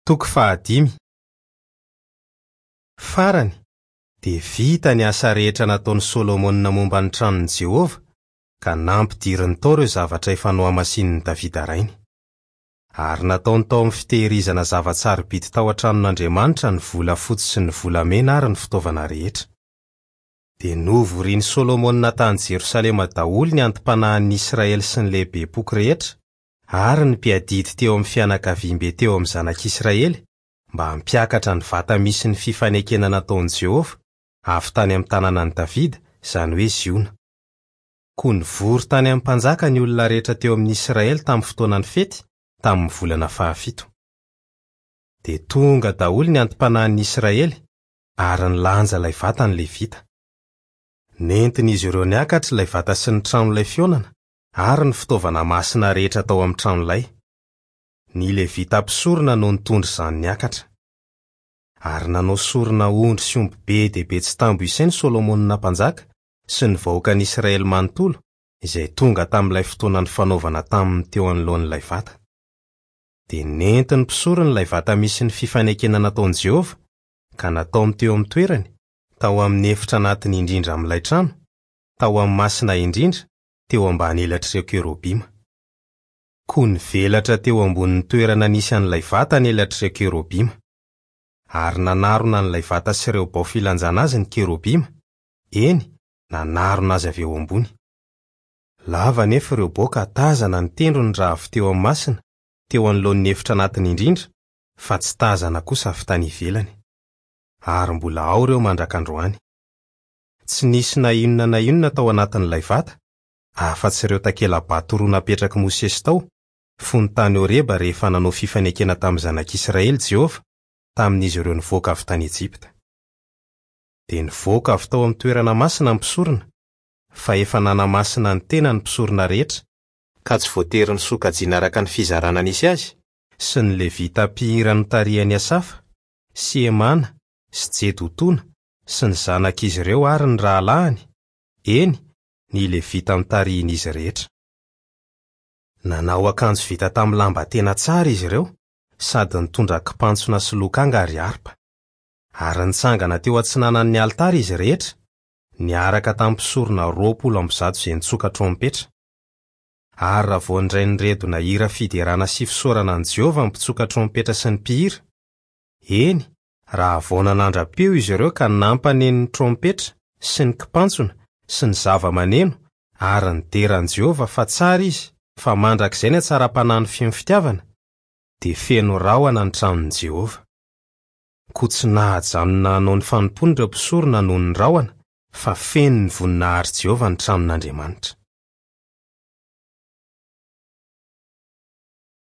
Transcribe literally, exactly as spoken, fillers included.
Toko fahadimy. Farany, dia vita ny asa rehetra nataon'i Solomona momba ny tranon'i Jehovah ka nampidiriny tao ireo zavatra efa nohamasinin'i Davida rainy. Ary nataony tao amin'ny fitehirizana zava-tsarobidy tao an-tranon'Andriamanitra ny volafotsy sy ny volamena ary ny fitaovana rehetra. Dia novorian'i Solomona tany Jerosalema daholo ny anti-panahin'ny Israely sy ny lehibem-poko rehetra ary ny mpiadidy teo amin'ny fianakaviambe teo amin'ny zanak'Israely mba hampiakatra ny vata misy ny fifanekena nataon'i Jehovah avy tany amin'ny tanànan'i Davida, izany hoe Ziona. Koa nivory tany amin'ny mpanjaka ny olona rehetra teo amin'ny Israely tamin'ny fotoanan'ny fety, tamin'ny volana fahafito. Dia tonga daholo ny anti-panahin'ny Israely ary nilanja ilay vata ny Levita. Nentin'izy ireo niakatra ilay vata sy ny tranolay fihaonana ary ny fitaovana masina rehetra tao amin'ny tranolay. Ny Levita mpisorona no nitondra izany niakatra. Ary nanao sorona ondry sy omby be dia be tsy tambo isaina Solomona mpanjaka sy ny vahoakan'Israely manontolo izay tonga tamin'ilay fotoana nifanaovana taminy teo anoloan'ilay vata. Dia nentin'ny mpisorona ilay vata misy ny fifanekena nataon'i Jehovah ka nataony teo amin'ny toerany, tao amin'ny efitra anatiny indrindra amin'ilay trano, tao amin'ny masina indrindra, teo ambany elatr'ireo kerobima. Koa nivelatra teo ambonin'ny toerana nisy an'ilay vata ny elatr'ireo kerobima. Ary nanarona an'ilay vata sy ireo bao filanjana azy ny kerobima, eny, nanarona azy avy eo ambony. Lava anefa ireo bao ka tazana ny tendrony raha avy teo amin'ny masina, teo anoloan'ny efitra anatiny indrindra, fa tsy tazana kosa avy tany ivelany. Ary mbola ao ireo mandrak'androany. Tsy nisy na inona na inona tao anatin'ilay vata, afa-tsy ireo takela-bato roa napetrak'i Mosesy tao, fony tany Horeba rehefa nanao fifanekena tamin'ny zanak'Israely Jehovah, tamin'izy ireo nivoaka avy tany Ejipta. Dia nivoaka avy tao amin'ny toerana masina ny mpisorona, fa efa nanamasina ny tena ny mpisorona rehetra, ka tsy voatery nisokajiana araka ny fizarana nisy azy, sy ny Levita mpihira notarihan'i Asafa, sy Emana, sy Jedotona, sy ny zanak'izy ireo ary ny rahalahiny, eny, ny Levita notarihin'izy rehetra. Nanao akanjo vita tamin'ny lamba tena tsara izy ireo, sady nitondra kipantsona sy lokanga ary harpa. Ary nitsangana teo atsinanan'ny alitara izy rehetra, niaraka tamin'ny mpisorona roapolo amby zato izay nitsoka trompetra. Ary raha vao nindray niredona hira fiderana sy fisaorana an'i Jehovah ny mpitsoka trompetra sy ny mpihira, eny, raha vao nanandra-peo izy ireo ka nampaneno ny trompetra sy ny kipantsona sy ny zava-maneno ary nidera an'i Jehovah fa tsara izy, fa mandrakizay ny hatsaram-panahy feno fitiavana, dia feno rahona ny tranon'i Jehovah. Koa tsy nahajanona hanao ny fanompoany ireo mpisorona noho ny rahona, fa feno ny voninahitr'i Jehovah ny tranon'Andriamanitra.